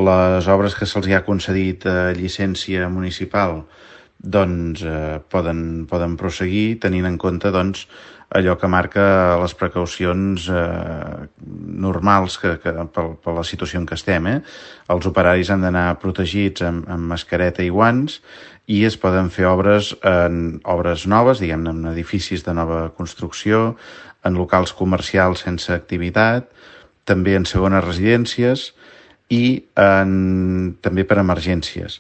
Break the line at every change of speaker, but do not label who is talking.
les obres que se'ls ha concedit llicència municipal doncs poden proseguir tenint en compte doncs, allò que marca les precaucions normals per la situació en què estem. Els operaris han d'anar protegits amb mascareta i guants i es poden fer obres noves, diguem-ne, en edificis de nova construcció, en locals comercials sense activitat, també en segones residències i també per emergències.